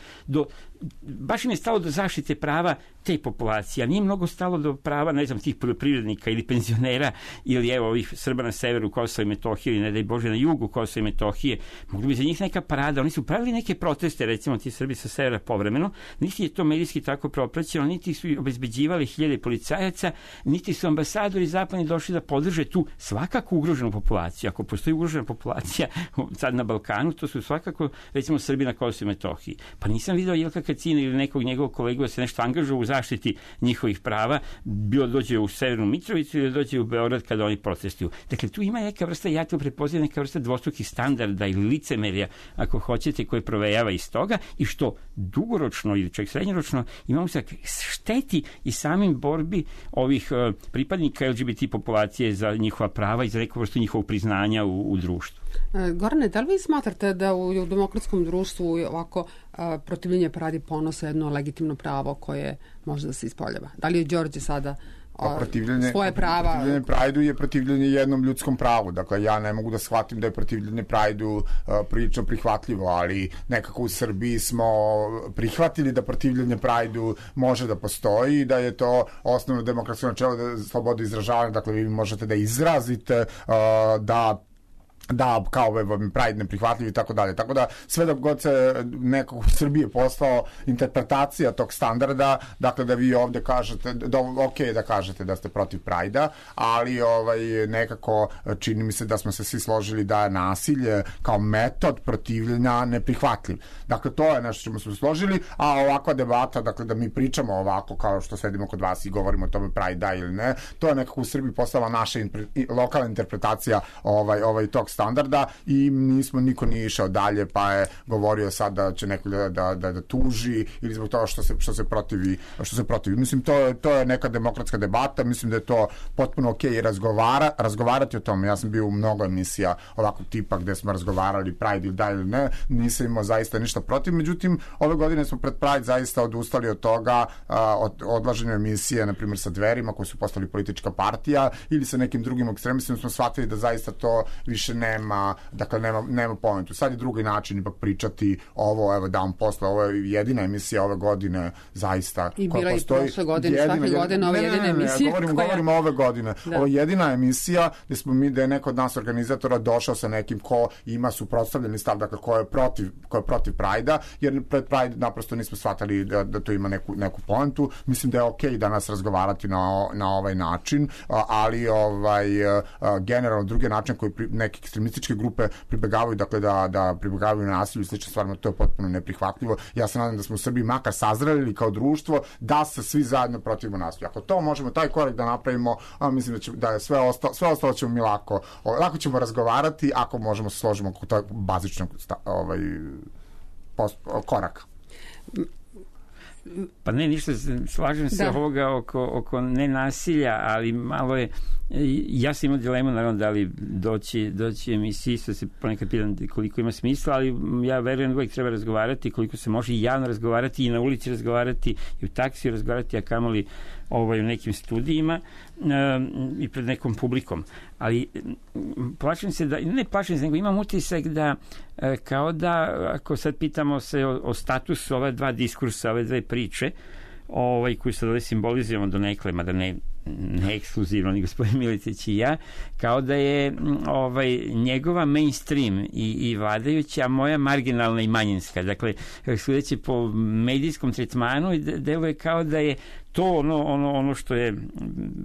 baš im je stalo do zaštite prava te populacije, a nije mnogo stalo do prava, ne znam, tih poljoprivrednika ili penzionera ili evo ovih Srba na severu Kosova i Metohije ili ne daj Bože na jugu Kosova i Metohije. Mogli bi za njih neka parada, oni su pravili neke proteste, recimo ti Srbi sa severa povremeno, niti je to medijski tako propraćeno, niti su obezbeđivali hiljade policajaca, niti su ambasadori zapadni došli da podrže tu svakako ugroženu populaciju. Ako postoji ugrožena populacija sad na Balkanu, to su svakako, recimo, Srbi na Kosovu i Metohiji. Pa nisam video Jelka Kacina ili nekog njegovog kolegu da se nešto angažuje u zaštiti njihovih prava, bilo dođe u Severnu Mitrovicu ili dođe u Beograd kada oni protestuju. Dakle, tu ima neka vrsta, ja to prepoznajem, neka vrsta dvostrukih standarda ili licemerja, ako hoćete, koje provejava iz toga i što dugoročno ili čak srednjoročno imamo se šteti i samim borbi ovih pripadnika LGBT populacije za njihova prava i za neku vrstu njihovog priznanja u društvu. Gorane, da li vi smatrate da u demokratskom društvu ovako protivljenje paradi ponosa jedno legitimno pravo koje može da se ispoljava? Da li je Đorđe sada svoje prava? Protivljenje Prajdu je protivljenje jednom ljudskom pravu. Dakle, ja ne mogu da shvatim da je protivljenje Prajdu prilično prihvatljivo, ali nekako u Srbiji smo prihvatili da protivljenje Prajdu može da postoji i da je to osnovno demokratsko načelo da sloboda izražavanja. Dakle, vi možete da izrazite da kao Pride neprihvatljiv i tako dalje. Tako da sve dok god se nekako u Srbiji postao interpretacija tog standarda, dakle da vi ovde kažete, ok da kažete da ste protiv Pride-a, ali nekako čini mi se da smo se svi složili da je nasilje kao metod protivljenja neprihvatljiv. Dakle, to je nešto čemu smo se složili, a ovakva debata, dakle da mi pričamo ovako kao što sedimo kod vas i govorimo o tome Pride da ili ne, to je nekako u Srbiji postala naša lokalna interpretacija tog standarda i niko nije išao dalje, pa je govorio sad da će neko da tuži ili zbog toga što se protivi. Mislim, to je neka demokratska debata, mislim da je to potpuno okej razgovarati o tome. Ja sam bio u mnogo emisija ovakvog tipa gde smo razgovarali Pride ili da ili ne, nisam imao zaista ništa protiv, međutim, ove godine smo pred Pride zaista odustali od toga, od odlaženja emisije, na primjer sa Dverima, koji su postali politička partija, ili sa nekim drugim ekstremistima, smo shvatili da zaista to više nema pointu. Sad je drugi način ipak pričati ovo, evo dan posle, ovo je jedina emisija ove godine zaista i bila i prošle godine, svake godine ova jedina emisija. Govorimo ove godine. Ovo je jedina emisija gde je neko od nas organizatora došao sa nekim ko ima suprotstavljeni stav, dakle ko je protiv Prajda, jer pred Pride naprosto nismo shvatali da to ima neku pointu. Mislim da je okej danas razgovarati na ovaj način, ali generalno drugi način koji neke ekstremističke grupe pribegavaju, dakle da pribegavaju na nasilju i slične stvarima, to je potpuno neprihvatljivo. Ja se nadam da smo u Srbiji makar sazreli kao društvo da se svi zajedno protivimo nasilju. Ako to možemo, taj korak da napravimo, mislim da je sve ostalo ćemo mi lako ćemo razgovarati ako možemo se složimo oko tog bazičnog koraka. Pa ne, ništa, slažem se ovoga oko nenasilja, ali malo je, ja sam imao dilemu, naravno, da li doći emisiji, što se ponekad pitam koliko ima smisla, ali ja verujem da uvijek treba razgovarati, koliko se može i javno razgovarati i na ulici razgovarati i u taksiju razgovarati, a kamoli u nekim studijima i pred nekom publikom. Ali plašim se nego imam utisak da kao da, ako sad pitamo se o statusu ove dva diskursa, ove dve priče, koju sad ovdje simbolizujemo do nekle, mada ne ekskluzivno, ni gospodin Miletić i ja, kao da je njegova mainstream i vladajuća, a moja marginalna i manjinska. Dakle, sudeći po medijskom tretmanu, deluje kao da je to ono što je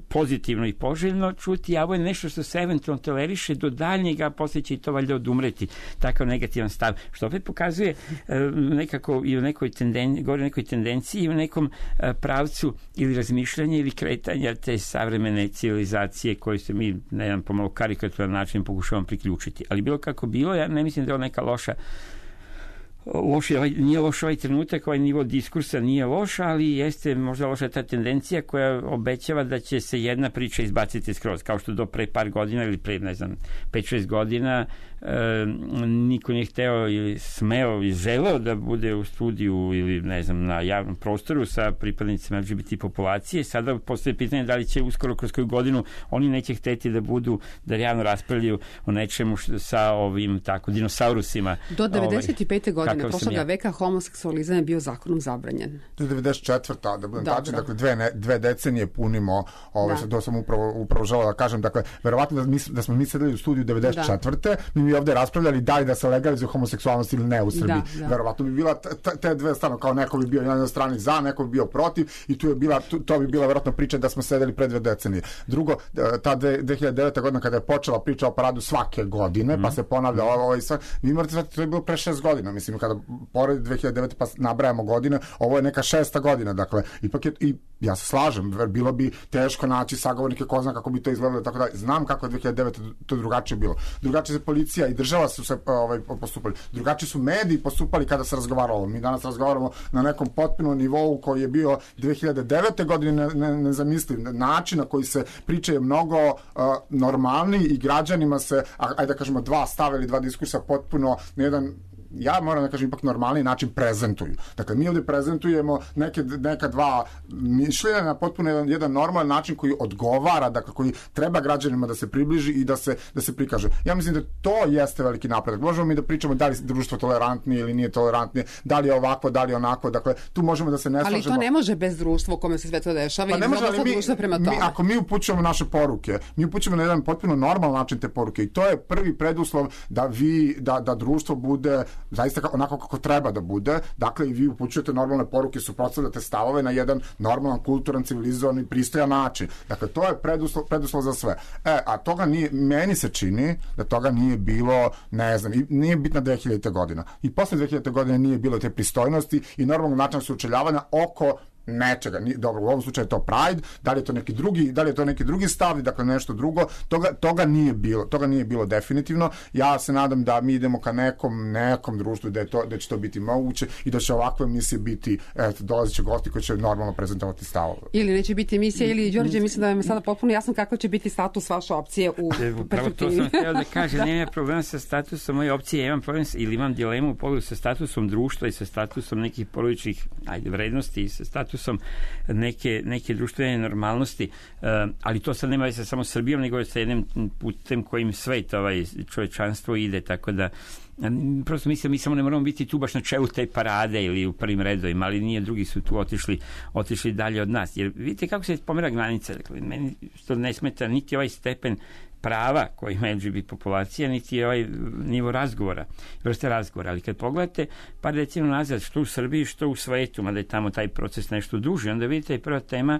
pozitivno i poželjno čuti, a ovo je nešto što se eventualno toleriše do daljnjega, a poslije će i to valjda odumreti. Takav negativan stav. Što opet pokazuje nekako i u nekoj tendenciji i u nekom pravcu ili razmišljanja ili kretanja te savremene civilizacije koje se mi na jedan pomalo karikaturan način pokušavamo priključiti. Ali bilo kako bilo, ja ne mislim da je ovo neka nije loš ovaj trenutak, ovaj nivo diskursa nije loš, ali jeste možda loša ta tendencija koja obećava da će se jedna priča izbaciti skroz, kao što do pre par godina ili pre, 5-6 godina niko nije hteo ili smeo ili želeo da bude u studiju ili na javnom prostoru sa pripadnicima LGBT populacije. Sada postoje pitanje da li će uskoro kroz koju godinu oni neće hteti da javno raspravljaju o nečemu sa ovim dinosaurusima. Do 95. godine prošloga veka homoseksualizam je bio zakonom zabranjen. To je 94. da budem tačan, dakle dve decenije punimo, to sam upravo želeo da kažem, dakle, verovatno da smo mi sedeli u studiju 94. mi ovde raspravljali da li da se legalizuje homoseksualnost ili ne u Srbiji. Verovatno bi bila te dve strane, kao neko bi bio na jednoj strani za, neko bi bio protiv i to bi bila verovatno priča da smo sedeli pre 2 decenije. Drugo, ta 2009. godina kada je počela priča o paradu svake godine, pa se ponavlja vi morate znati, to je bilo pre 6 godina, mislim, kada pored 2009. pa nabrajamo godine, ovo je neka 6. godina, dakle, ipak je, i ja se slažem, bilo bi teško naći sagovornike, ko zna kako bi to izgledalo, tako da znam kako je 2009. to drugačije bilo. Drugačije se policija i država su se postupali. Drugačije su mediji postupali kada se razgovaralo. Mi danas razgovaramo na nekom potpunom nivou koji je bio 2009. godine nezamisliv. Način na koji se priča je mnogo normalniji i građanima se, ajde da kažemo, 2 stava ili 2 diskursa potpuno na jedan, ja moram da kažem, ipak normalni način prezentuju. Dakle, mi ovdje prezentujemo neka 2 mišljenja na potpuno jedan normalan način koji odgovara, dakle, koji treba građanima da se približi i da se prikaže. Ja mislim da to jeste veliki napredak. Možemo mi da pričamo da li je društvo tolerantnije ili nije tolerantnije, da li je ovako, da li je onako, dakle, tu možemo da se ne slažemo. Ali to ne može bez društva u kome se sve to dešava i mnogo društva prema tome. Ako mi upućujemo naše poruke, mi upućujemo na jedan potpuno normalan način te poruke i to je prvi preduslov da društvo bude zaista onako kako treba da bude. Dakle, i vi upućujete normalne poruke, suprotstavljate stavove na jedan normalan, kulturan, civilizovan i pristojan način. Dakle, to je preduslov za sve. A toga nije, meni se čini da toga nije bilo, ne znam, nije bitna 2000. godina. I posle 2000. godine nije bilo te pristojnosti i normalnog načina sučeljavanja oko nečega. Dobro, u ovom slučaju je to Pride, da li je to neki drugi stav, dakle nešto drugo, toga nije bilo definitivno. Ja se nadam da mi idemo ka nekom društvu da će to biti moguće i da će ovakve emisije biti, dolaziće gosti koji će normalno prezentovati stavove. Ili neće biti emisija, ili Đorđe, mislim da vam je sada potpuno jasno kako će biti status vaše opcije u perspektivi. To sam htio da kažem, nema problema sa statusom moje opcije, imam problem ili imam dilemu u pogledu sa statusom društva i sa statusom nekih porodičnih vrednosti i sa statusom neke društvene normalnosti, ali to sad nema veze samo s Srbijom, nego sa jednim putem kojim svet, čovečanstvo ide, tako da prosto mislim, mi samo ne moramo biti tu baš na čelu te parade ili u prvim redovima, ali nije, drugi su tu otišli dalje od nas, jer vidite kako se pomera granica. Dakle, meni što ne smeta niti ovaj stepen prava koji ima LGBT populacija, niti ovaj nivo vrste razgovora, ali kad pogledate par decenija nazad, što u Srbiji, što u svetu, mada je tamo taj proces nešto duži, onda vidite je prva tema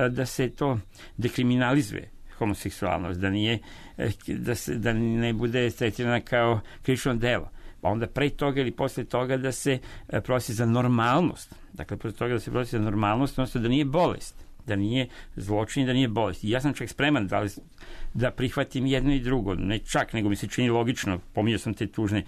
da se to dekriminalizuje, homoseksualnost, da ne bude tretirana kao krivično delo. Pa onda pre toga ili posle toga da se prosi za normalnost. Dakle, posle toga da se prosi za normalnost, odnosno da nije bolest, da nije zločin, da nije bolest. I ja sam čak spreman da prihvatim jedno i drugo, ne čak, nego mi se čini logično, pominjao sam te tužne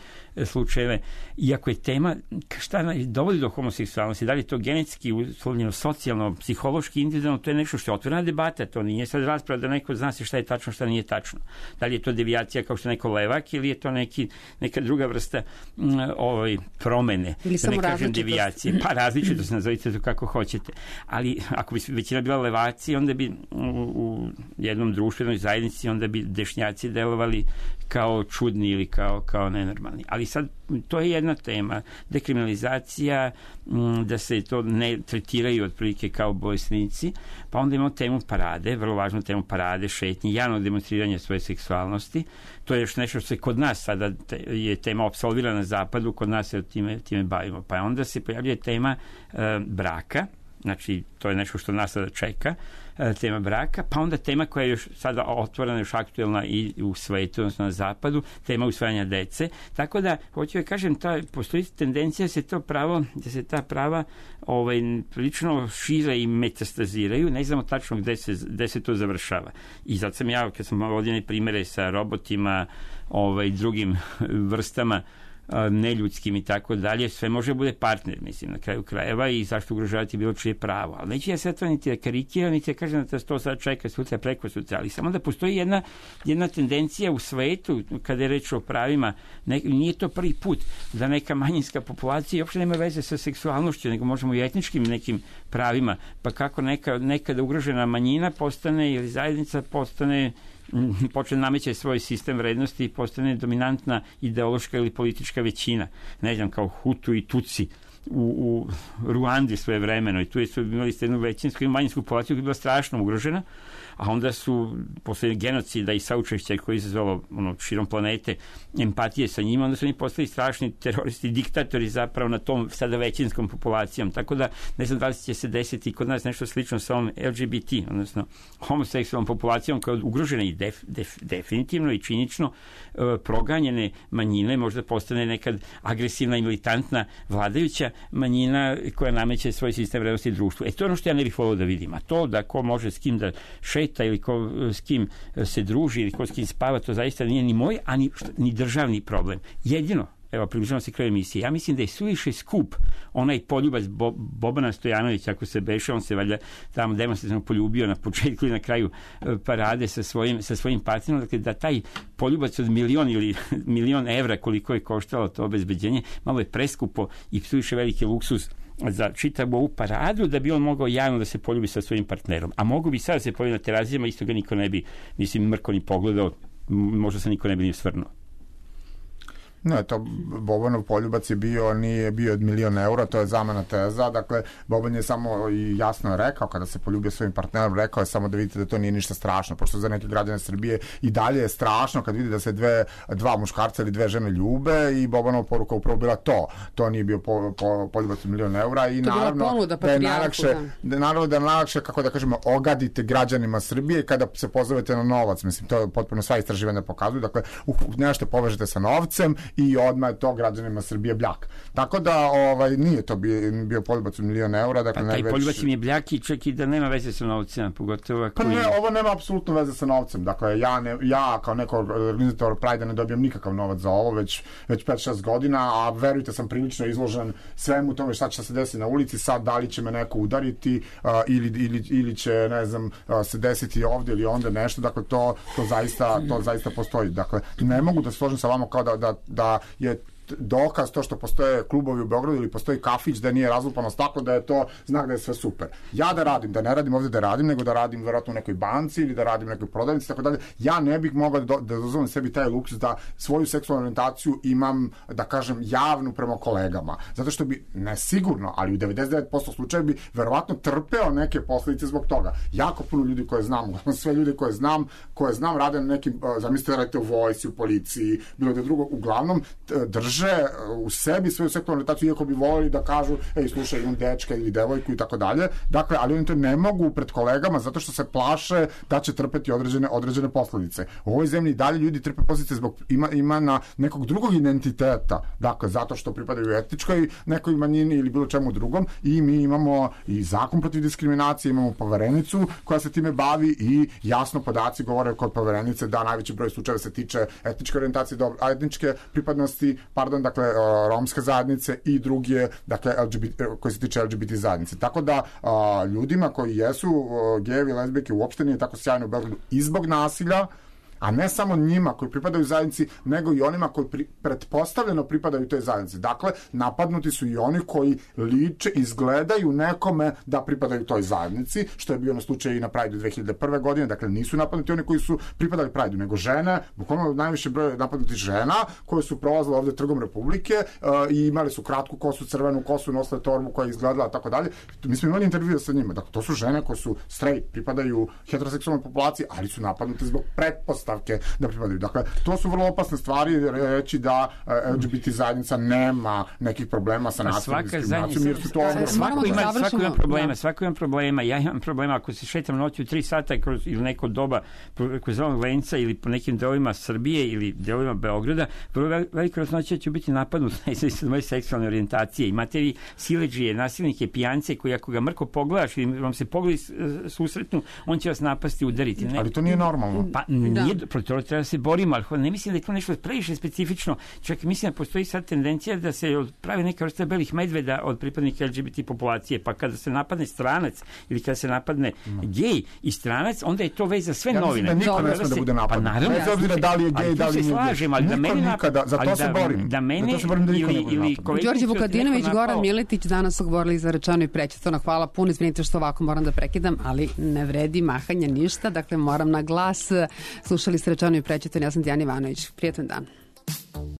slučajeve, iako je tema šta dovodi do homoseksualnosti, da li je to genetski, uslovljeno, socijalno, psihološki, individualno, to je nešto što je otvorena debata, to nije sad rasprava da neko zna se šta je tačno, šta nije tačno. Da li je to devijacija kao što je neko levak ili je to neka druga vrsta promene, ili da ne kažem devijacije, pa različitost, nazovite to kako hoćete. Ali ako bi većina bila levaci, onda bi u jednom društvenoj zajednici, onda bi dešnjaci delovali kao čudni ili kao nenormalni. Ali sad, to je jedna tema. Dekriminalizacija, da se to ne tretiraju otprilike kao bolesnici, pa onda imamo temu parade, vrlo važnu temu parade, šetnje, javnog demonstriranja svoje seksualnosti. To je još nešto što se kod nas sada je tema apsolvirana na zapadu, kod nas se time bavimo. Pa onda se pojavljuje tema braka, znači to je nešto što nas sada čeka, tema braka, pa onda tema koja je još sada otvorena, još aktuelna i u svetu, odnosno na zapadu, tema usvajanja dece. Tako da, hoću da kažem, postoji tendencija da se ta prava prilično šire i metastaziraju, ne znamo tačno gde se to završava. I zato sam ja, kad sam ovdje primere sa robotima, drugim vrstama neljudskim i tako dalje, sve može bude partner, mislim, na kraju krajeva, i zašto ugrožavati bilo čije pravo. Ali neće ja sve to niti da karikiram, niti da kažem da to sad čeka sutra, preko sutra, ali samo da postoji jedna tendencija u svetu, kada je reč o pravima, nije to prvi put da neka manjinska populacija uopšte nema veze sa seksualnošću, nego možemo i etničkim nekim pravima, pa kako nekada ugrožena manjina postane, ili zajednica počne nameće svoj sistem vrednosti i postane dominantna ideološka ili politička većina. Ne znam, kao Hutu i Tutsi u Ruandi svoje vremeno, i tu su imali jednu većinsku i manjinsku populaciju koja je bila strašno ugrožena, a onda su posle genocida i saučešća koji je izazvalo širom planete empatije sa njima, onda su oni postali strašni teroristi, diktatori zapravo na tom sada većinskom populacijom. Tako da ne znam da li će se desiti kod nas nešto slično sa ovom LGBT, odnosno homoseksualnom populacijom koja je ugrožena i definitivno i činično proganjene manjine, možda postane nekad agresivna i militantna vladajuća manjina koja nameće svoj sistem vrednosti društvu. To je ono što ja ne bih volio da vidim. A to da ko može s kim da šeta ili ko s kim se druži ili ko s kim spava, to zaista nije ni moj, a ni državni problem. Jedino, evo, približavamo se kraju emisije, ja mislim da je suviše skup onaj poljubac Bobana Stojanovića, ako se beše, on se valjda tamo demonstrativno poljubio na početku i na kraju parade sa svojim partnerom, dakle da taj poljubac od milion evra koliko je koštalo to obezbeđenje, malo je preskupo i suviše veliki luksuz za čitavu ovu paradu, da bi on mogao javno da se poljubi sa svojim partnerom. A mogu bi sad da se poljubi na terazijama, isto ga niko ne bi, mrko ni pogledao, možda se niko ne bi ni osvrnuo. Ne, to Bobanov poljubac nije bio od 1.000.000 eura, to je zamena teza. Dakle, Boban je samo i jasno rekao, kada se poljubio svojim partnerom, rekao je samo da vidite da to nije ništa strašno, pošto za neke građane Srbije i dalje je strašno kad vidi da se dva muškarca ili dve žene ljube, i Bobanova poruka upravo bila to nije bio poljubac od 1.000.000 eura, i naravno da je najlakše, kako da kažemo, ogadite građanima Srbije kada se pozovete na novac. Mislim, to je potpuno sva istraživanja pokazuju. Dakle, nešto povežete sa novcem i odmah je to građanima Srbije bljak. Tako da nije to bio poljubac od 1.000.000 eura. Dakle, pa taj poljubac im je bljak i čak i da nema veze sa novcem, pogotovo ako... Pa ne, ovo nema apsolutno veze sa novcem. Dakle, ja kao neko organizator Pride ne dobijam nikakav novac za ovo već 5-6 godina, a verujte, sam prilično izložen svemu tome šta će se desiti na ulici. Sad, da li će me neko udariti ili će, ne znam, se desiti ovdje ili onda nešto. Dakle, to zaista postoji. Dakle, ne mogu da se složim sa vama kao da je dokaz to što postoje klubovi u Beogradu ili postoji kafić da nije razlupano staklo, da je to znak da je sve super. Ja da ne radim ovdje da radim, nego da radim verovatno u nekoj banci ili da radim u nekoj prodavnici, tako dalje. Ja ne bih mogao da dozvolim sebi taj luksuz da svoju seksualnu orijentaciju imam, da kažem, javnu prema kolegama. Zato što bi, ne sigurno, ali u 99% slučaja bi verovatno trpeo neke posljedice zbog toga. Jako puno ljudi koje znam, sve ljude koje znam rade na nekim, zamislite da radite u vojsci, u policiji, bilo da drugo, uglavnom drže u sebi svoju seksualnu orijentaciju, iako bi volili da kažu, slušaj, imam dečka ili devojku i tako dalje. Dakle, ali oni to ne mogu pred kolegama zato što se plaše da će trpeti određene posljedice. U ovoj zemlji dalje ljudi trpe posljedice zbog ima nekog drugog identiteta. Dakle, zato što pripadaju etničkoj nekoj manjini ili bilo čemu drugom, i mi imamo i zakon protiv diskriminacije, imamo poverenicu koja se time bavi i jasno podaci govore kod poverenice da najveći broj slučajeva se tiče etničke orijentacije, etničke pripadnosti, dakle, romske zajednice, i drugi je, dakle, koji se tiče LGBT zajednice. Tako da, ljudima koji jesu gejevi, lezbijke, uopšte nije tako sjajno u Beogradu i zbog nasilja, a ne samo njima koji pripadaju zajednici, nego i onima koji pretpostavljeno pripadaju toj zajednici. Dakle, napadnuti su i oni koji liče, izgledaju nekome da pripadaju toj zajednici, što je bio na slučaju i na Prideu 2001. godine. Dakle, nisu napadnuti oni koji su pripadali Prideu, nego žene, bukvalno najviše broj napadnuti žena koje su prolazile ovde Trgom Republike i imali su kratku kosu, crvenu kosu, nosile torbu koja je izgledala tako dalje. Mi smo imali intervjue sa njima. Dakle, to su žene koje su straight, pripadaju heteroseksualnoj populaciji, ali su napadnute zbog pretpostavke da pripadaju. Dakle, to su vrlo opasne stvari, reći da LGBT zajednica nema nekih problema sa nasilnom diskriminacijom, jer su to svako ima problema. Ja imam problema ako se šetam noću 3 sata ili neko doba kroz Zelenog venca ili po nekim delovima Srbije ili delovima Beograda, vrlo veliko raznoće ću biti napadnut na moje seksualne orijentacije. Imate vi siledžije, nasilnike, pijance koji ako ga mrko pogledaš ili vam se pogledi susretnu, on će vas napasti i udariti. Ne? Ali to nije normalno. Pa nije, protiv toga treba se borimo, ali ne mislim da je to nešto previše specifično. Čak mislim da postoji sad tendencija da se pravi neka vrsta belih medveda od pripadnika LGBT populacije, pa kada se napadne stranac ili kada se napadne gej i stranac, onda je to već za sve novine. Ja mislim da niko ne sme da bude napadnut. Pa naravno, bez obzira da li je gej, da li nije gej. Ali da mene nikada, za to se borim. Da mene ili Đorđe Vukadinović, Goran Miletić danas su govorili za rečeno i prećutno. Hvala puno, izvinite što ovako moram da prekidam, ali ne vredi mahanja ništa, dakle moram na glas. Slušali ste rečeno i prećutno, ja sam Dijana Ivanović. Prijatan dan.